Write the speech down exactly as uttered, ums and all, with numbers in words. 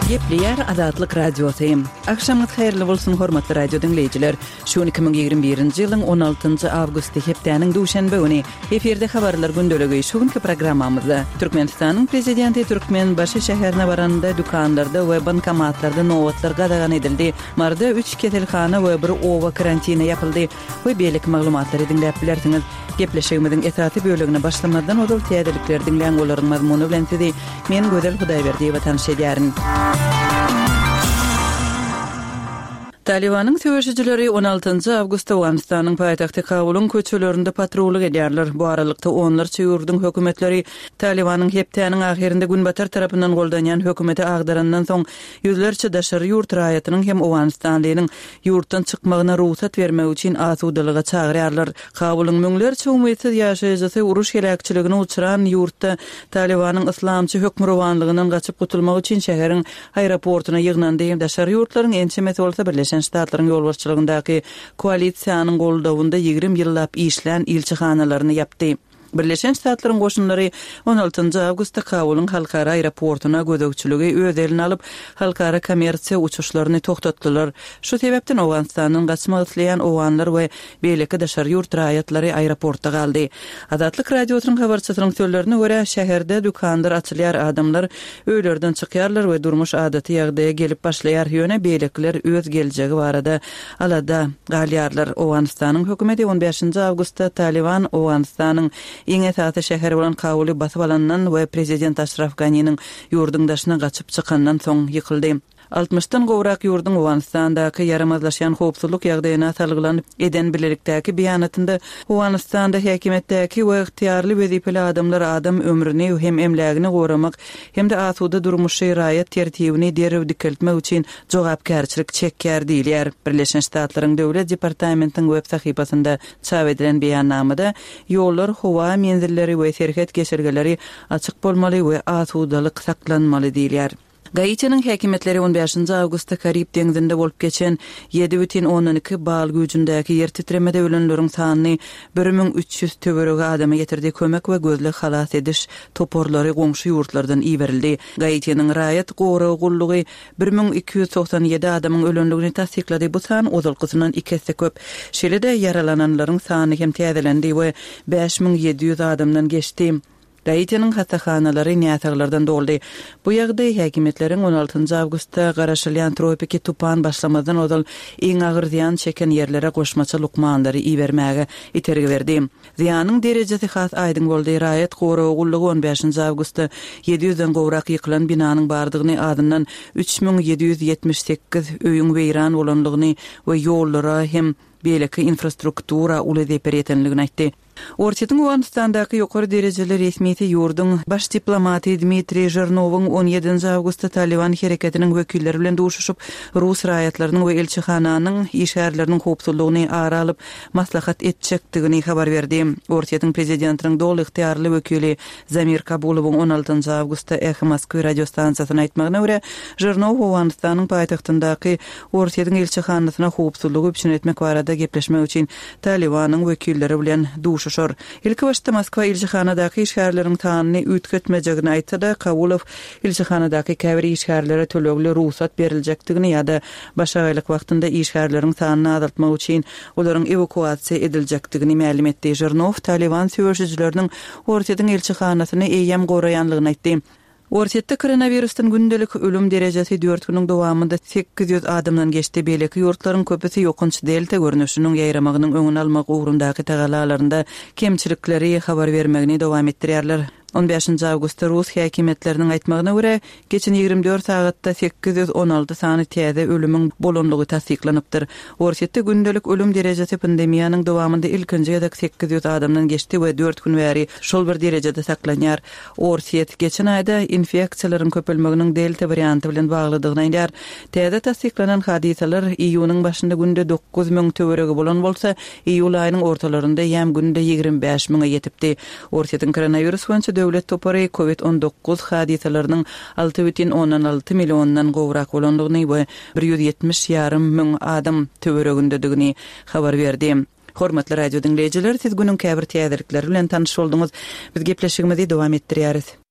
Gepleýär Azatlyk Radiosy. Agşamyňyz haýyrly bolsun, hormatly radio diňleýjiler. Şu gün iki müň ýigrimi birinji ýylyň on altynjy awgusty, hepdäniň duşenbe güni. Efirde habarlar gündeligi. Şu günki programmamyzda Türkmenistanyň Prezidenti Türkmenbaşy şäherine baranda dükanlarda we bankomatlarda nobatlar gadagan edildi. Maryda üç keselhana we bir oba karantine ýapyldy we beýleki maglumatlary diňläp bilersiňiz. Gepleşigimiziň esasy bölegine başlamazdan ozal täzelikleri diňläň, olaryň mazmuny bilen sizi men Gözel Hudaýberdiýewa tanyş edýärin. Talybanyň söweşijileri on altynjy awgustda Owganystanyň paýtagty Kabulyň köçelerinde patrullyk edýärler. Bu aralykda onlarça ýurduň hökümetleri Talybanyň hepdäniň ahyrynda günbatar tarapyndan goldanýan hökümeti agdarandan soň ýüzlerçe daşary ýurt raýatynyň hem owganystanlynyň ýurtdan çykmagyna rugsat bermek üçin asudalyga çagyrýarlar. Kabulyň müňlerçe umytsyz ýaşaýjysy uruş heläkçiligine uçran ýurtda Talybanyň yslamçy hökmürowanlygyndan gaçyp gutulmak üçin şäheriň aeroportuna ýygnandy. Daşary ýurtlaryň ençemesi bolsa Birleşen Ştatlaryň ýolbaşçylygyndaky koalisiýanyň goldawynda ýigrimi ýyllap işlän ilçihanalaryny ýapdy. Birleşen Ştatlaryň goşunlary on altynjy awgustda Kabulyň halkara aeroportuna gözegçiligi öz eline alyp, halkara kommersiýa uçuşlaryny togtatdylar. Şu sebäpden Owganystandan gaçmak isleýän owganlar we beýleki daşary ýurt raýatlary aeroportda galdy. Azatlyk Radiosynyň habarçysynyň sözlerine görä, şäherde dükanlar açylýar, adamlar öýlerden çykýarlar we durmuş adaty ýagdaýa gelip başlaýar, ýöne beýlekiler öz geljegi barada alada galýarlar. Owganystanyň hökümeti on bäşinji awgustda Talyban Owganystanyň iň esasy şäheri bolan Kabuly basyp alandan we prezident Aşraf Ganiniň ýurduň daşyna gaçyp çykandan soň ýykyldy. Altmyşdan gowrak ýurduň Owganystandaky ýaramazlaşýan howpsuzlyk ýagdaýyna salgylanyp eden bilelikdäki beýanatynda Owganystanda häkimiýetdäki we ygtyýarly wezipeli adamlar adam ömrüni hem emlägini goramak hem-de asuda durmuşy raýat tertibini derrew dikeltmek üçin jogapkärçilik çekýär diýilýär. Birleşen Ştatlaryň Döwlet departamentiniň web sahypasynda çap edilen beýannamada ýollar, howa menzilleri we serhet geçelgeleri açyk bolmaly we asudalyk saklanmaly diýilýär. Gaitiniň häkimiýetleri on bäşinji awgustda Karib deňzinde bolup geçen ýedi bütin ondan iki bal güýjündäki ýer titremede ölenleriň sanyny bir müň üç ýüz töweregi adama ýetirdi. Kömek we gözleg halas ediş toparlary goňşy ýurtlardan iberildi. Gaitiniň raýat goragy gullugy bir müň iki ýüz togsan ýedi adamyň ölenligini tassyklady. Bu san ozalkysyndan iki esse köp. Şeýle-de ýaralananlaryň sany hem täzelendi we bäş müň ýedi ýüz adamdan geçdi. Gaitiniň hassahanalary näsaglardan doldy. Bu ýagdaý häkimiýetleriň on altynjy awgustda garaşylýan tropiki tupan başlamazdan ozal iň agyr zyýan çeken ýerlere goşmaça lukmanlary ibermäge itergi berdi. Zyýanyň derejesi has aýdyň boldy. Raýat goragy gullugy on bäşinji awgustda ýedi ýüzden gowrak ýykylan binanyň bardygyny, azyndan üç müň ýedi ýüz ýetmiş sekiz öýüň weýran bolanlygyny we ýollara hem beýleki infrastruktura uly zeper ýetenligini aýtdy. Orsýetiň Owganystandaky ýokary derejeli resmisi ýurduň baş diplomaty Dmitriý Žirnowyň on ýedinji awgustda Taliban hereketiniň wekilleri bilen duşuşyp, rus raýatlarynyň we ilçihananyň işgärleriniň howpsuzlygyny ara alyp maslahat etjekdigini habar berdi. Orsýetiň prezidentiniň doly ygtyýarly wekili Zamir Kabulowyň on altynjy awgustda Eho Moskwy radiostansiýasyna aýtmagyna görä, Žirnow Owganystanyň paýtagtyndaky Orsýetiň ilçihanasyna howpsuzlygy üpjün etmek barada gepleşmek üçin Talibanyň wekilleri bilen duşuşar. Ilki başda Moskwa ilçihanadaky işgärleriň sanyny üýtgetmejegini aýtsa-da, Kabulow ilçihanadaky käbir işgärlere tölegli rugsat beriljekdigini ýa-da başagaýlyk wagtynda işgärleriň sanyny azaltmak üçin olaryň ewakuasiýa ediljekdigini mälim etdi. Žirnow Taliban söweşijileriniň Orsýetiň ilçihanasyny eýýäm goraýanlygyny aýtdy. Orsýetde koronavirusdan gündelik ölüm derejesi dört günüň dowamynda sekiz ýüz adamdan geçdi. Beýleki ýurtlaryň köpüsi ýokanç delta görnüşiniň ýaýramagynyň öňüni almak ugrundaky tagalalarynda kemçilikleri habar bermegini dowam etdirýärler. On bäşinji awgustda rus häkimiýetleriniň aýtmagyna görä, geçen ýigrimi dört sagatda sekiz ýüz on alty sany täze ölümiň bolanlygy tassyklanypdyr. Orsýetde gündelik ölüm derejesi pandemiýanyň dowamynda ilkinji gezek sekiz ýüz adamdan geçdi we dört gün bäri şol bir derejede saklanýar. Orsýet geçen aýda infeksiýalaryň köpelmeginiň delta warianty bilen baglydygyny aýdýar. Täze tassyklanan hadysalar iýunyň başynda günde dokuz müň töweregi bolan bolsa, iýul aýynyň ortalarynda ýäm günde ýigrimi bäş müňe ýetipdi. Orsýetiň koronawirus boýunça döwlet topary kovid on dokuz hadysalarynyň alty bütin ondan alty milliondan gowrak bolandygyny we bir ýüz ýetmiş ýarym müň adam töweregindedigini habar berdi. Hormatly radio diňleýjiler, siz günüň käbir täzelikleri bilen tanyş bolduňyz. Biz gepleşigimizi dowam etdirýäris.